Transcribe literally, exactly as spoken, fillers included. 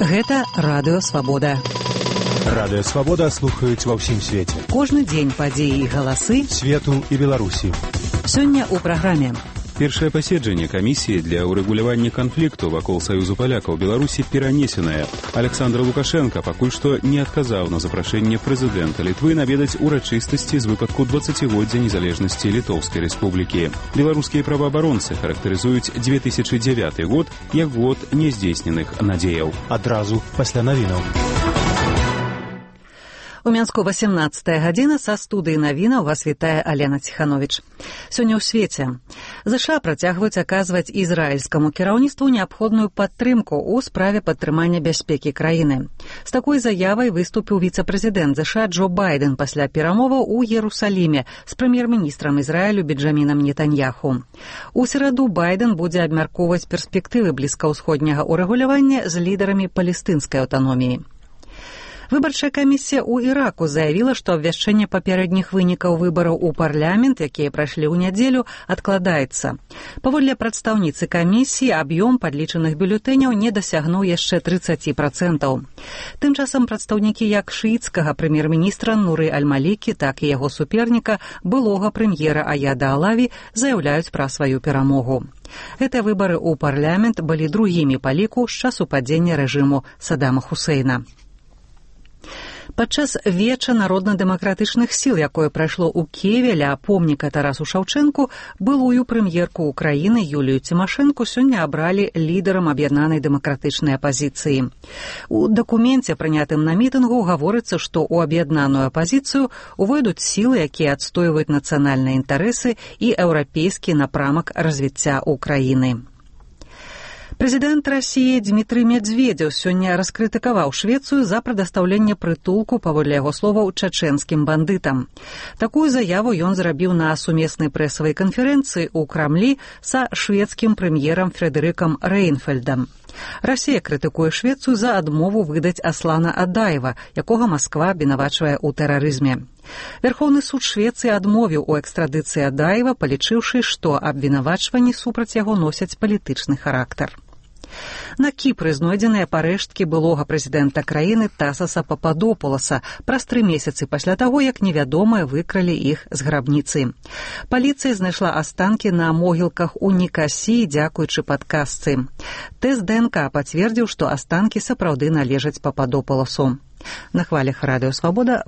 Гэта Радыё Свабода. Радыё Свабода слухаюць ва ўсім свеце. Кожны дзень падзеі і галасы свету і Беларусі. Сёння ў праграме. Першае паседжанне камісіі для ўрэгулявання канфлікту вакол Саюзу палякаў Беларусі перанесенае. Александр Лукашенко пакуль што не адказаў на запрашэнне прэзідэнта Літвы наведаць урачыстасці з выпадку дваццацігоддзя незалежнасці Літоўскай рэспублікі. Беларускія праваабаронцы характарызуюць две тысячы дзявяты год як год няздзейсненых надзеяў. Адразу пасля навінаў. У Мінску васямнаццатая гадзіна, са студыі навінаў вас вітае Алена Ціхановіч. Сёння ў свеце. ЗША працягваюць аказваць ізраільскаму кіраўніцтву неабходную падтрымку ў справе падтрымання бяспекі краіны. З такой заявай выступіў віцэ-прэзідэнт ЗША Джо Байден пасля перамоваў у Ерусаліме з прэм'ер-міністрам Ізраілю Бенджамінам Нетаньяху. У сераду Байден будзе абмяркоўваць перспектывы блізкаўсходняга ўрэгулявання з лідарамі палестынскай аўтаноміі. Выбарчая камісія ў Іраку заявіла, што абвяшчэнне папярэдніх вынікаў выбараў у парламент, якія прайшлі ў нядзелю, адкладаецца. Паводле прадстаўніцы камісіі, аб'ём падлічаных бюлетэняў не дасягнуў яшчэ трыццаць працэнтаў. Тым часам прадстаўнікі як шыіцкага прэм'ер-міністра Нуры Аль-Малікі, так і яго суперніка, былога прэм'ера Аяда Алаві, заяўляюць пра сваю перамогу. Гэтыя выбары ў парламент былі другімі па ліку з часу падзення рэжыму Саддама Хусейна. Падчас веча народна-дэмакратычных сіл, якое прайшло ў Кіеве ля помніка Тарасу Шаўчэнку, былую прэм'ерку Украіны Юлію Цімашэнку сёння абралі лідарам аб'яднанай дэмакратычнай апазіцыі. У дакуменце, прынятым на мітынгу, гаворыцца, што ў аб'яднаную апазіцыю увойдуць сілы, якія адстойваюць нацыянальныя інтарэсы і еўрапейскі напрамак развіцця Украіны. Прэзідэнт Расіі Дмітрый Медведзеў сёння раскрытыкаваў Швецыю за прадастаўленне прытулку, паводле яго словаў, чачэнскім бандытам. Такую заяву ён зрабіў на сумеснай прэсавай канферэнцыі ў Крамлі са шведскім прэм'ерам Фредэрыкам Рэйнфельдам. Расія крытыкуе Швецыю за адмову выдаць Аслана Адаева, якога Масква абвінавачвае ў тэрарызме. Верхоўны суд Швецыі адмовіў у экстрадыцыі Адаева, палічыўшы, што абвінавачванні супраць яго носяць палітычны характар. На Кіпры знойдзеныя парэшткі былога прэзідэнта краіны Тасаса Пападопуласа праз тры месяцы пасля таго, як невядомыя выкралі іх з грабніцы. Паліцыя знайшла астанкі на могілках у Нікасіі, дзякуючы падказцы. Тэст ДНК пацвердзіў, што астанкі сапраўды належаць Пападопуласу. На хвалях Радыё Свабода